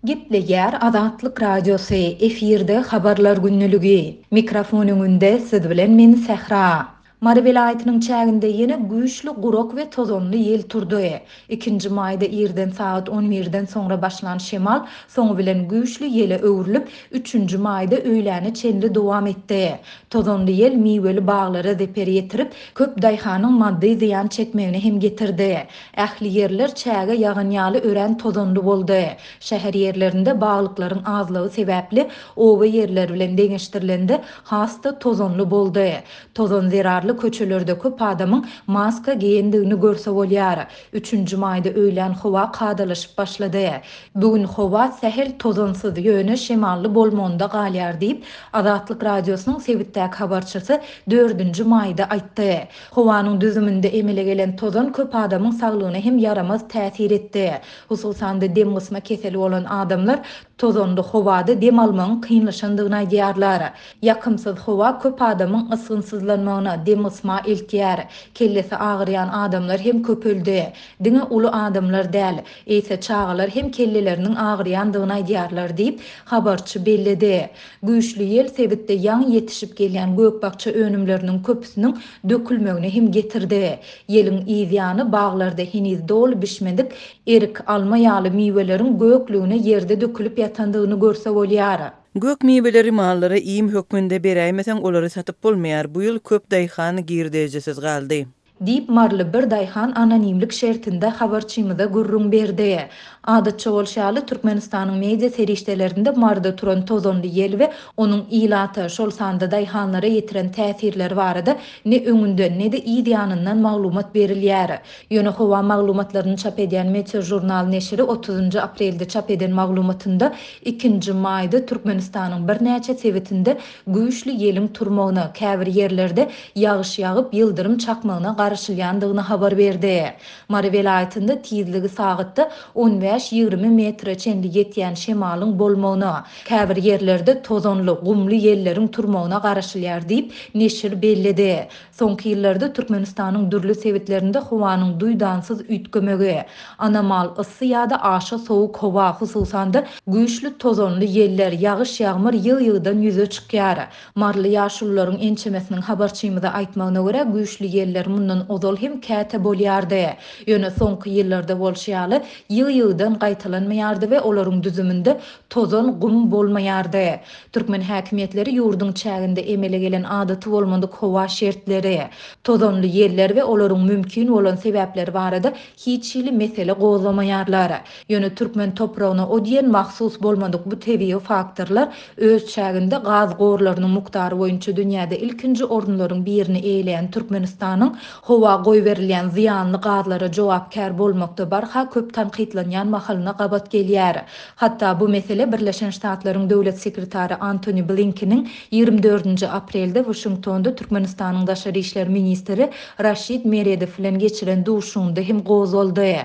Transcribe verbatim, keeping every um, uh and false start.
Gepleýär Azatlyk Radiosy, efirde Habarlar gündeligi. Mikrofon öňünde siz bilen men Sähra. Mary welaýatynyň çäginde ýene güýçli gurak we tozanly ýel turdy. Ikinji maýda irden sagat on birden soňra başlan şemal soňy bilen güýçli ýele öwrülip, üçünji maýda öýläne çenli dowam etdi. Tozanly ýel miweli baglara zeper ýetirip, köp daýhanyň maddy zyýan çekmegine hem getirdi. Ähli ýerler çäge ýagan ýaly örän tozanly boldy. Şäher ýerlerinde baglyklaryň azlygy sebäpli oba ýerleri bilen deňeşdirilende has-da tozanly boldy. Tozan zerarly köçelerde köp adamyň maska geýendigini görse bolýar. Üçünji maýda öýlän howa kadalaşyp başlady. Bugün howa sähel tozansyz, ýöne şemally bolmagynda galýar diýip, Azatlyk Radiosynyň sebitdäki habarçysy dördünji maýda aýtdy. Howanyň düzüminde emele gelen tozan köp adamyň saglygyna hem ýaramaz täsir etdi. Hususan-da dem gysma keseli bolan adamlar tozanly howada dem almagyň kynlaşandygyny aýdýarlar. Ýakymsyz howa köp adamyň ysgynsyzlanmagyna, dem gysma eltýär. Kellesi agyrýan adamlar hem köpeldi. Diňe uly adamlar däl, eýse çagalar hem kelleleriniň agyrýandygyny aýdýarlar diýip, habarçy belledi. Güýçli ýel sebitde ýaňy ýetişip gelýän gök-bakja önümleriniň köpüsiniň dökülmegine hem getirdi. Ýeliň yzýany baglarda heniz doly bişmedik erik, alma ýaly miweleriň göklügine ýerde dökülip ýatandygyny görse bolýar. Gök miweleri mallara iým hökmünde beräýmeseň olary satyp bolmaýar. Bu ýyl köp daýhan girdejisiz galdy. Diýip, Maryly bir daýhan anonimlik şertinde habarçymyza gürrüň berdi. Adatça bolşy ýaly Türkmenistanyň media serişdelerinde Maryda turan tozanly ýel we onuň ilata, şol sanda daýhanlara ýetiren täsirleri barada ne öňünden, ne-de yz ýanyndan maglumat berilýär. Ýöne howa maglumatlaryny çap edýän Meteo Jurnal neşiri otuzynjy aprelde çap eden maglumatynda ikinji maýda Türkmenistanyň birnäçe sebitinde güýçli ýeliň turmagyna, käbir ýerlerde ýagyş ýagyp, ýyldyrym çakmagyna garaşylýandygyny habar berdi. Mary welaýatynda tizligi sagatda on bäş ýigrimi metre çenli ýetýän şemalyň bolmagyna, käbir ýerlerde tozanly, gumly ýelleriň turmagyna garaşylýar diýip, neşir belledi. Soňky ýyllarda Türkmenistanyň dürli sebitlerinde howanyň duýdansyz üýtgemegi, anomal yssy ýa-da aşa sowuk howa, hususan-da güýçli tozanly ýeller, ýagyş ýagmyr ýygy-ýygydan ýüze çykýar. Maryly ýaşulularyň ençemesiniň habarçymyza aýtmagyna görä, güýçli ýeller mundan ozal hem käte bolýardy. Ýöne soňky ýyllarda bolşy ýaly ýygy-ýygydan gaýtalanmaýardy we olaryň düzüminde tozan gum bolmaýardy. Türkmen häkimiýetleri ýurduň çäginde emele gelen adaty bolmadyk howa şertleri, tozanly ýeller we olaryň mümkin bolan sebäpleri barada hiç hili mesele gozgamaýarlar. Ýöne türkmen topragyna o diýen mahsus bolmadyk bu tebigy faktorlar öz çäginde gaz gorlarynyň mukdary boýunça dünýäde ilkinji orunlaryň birini eýeleýän Türkmenistanyň howa goýberilýän zyýanly gazlara jogapkär bolmakda barha köp tankytlanýan mahalyna gabat gelýär. Hatda bu mesele Birleşen Ştatlaryň döwlet sekretary Antony Blinkeniň ýigrimi dördünji aprelde Washingtonda Türkmenistanyň daşary işler ministri Raşid Meredow bilen geçiren duşuşygynda hem gozgaldy.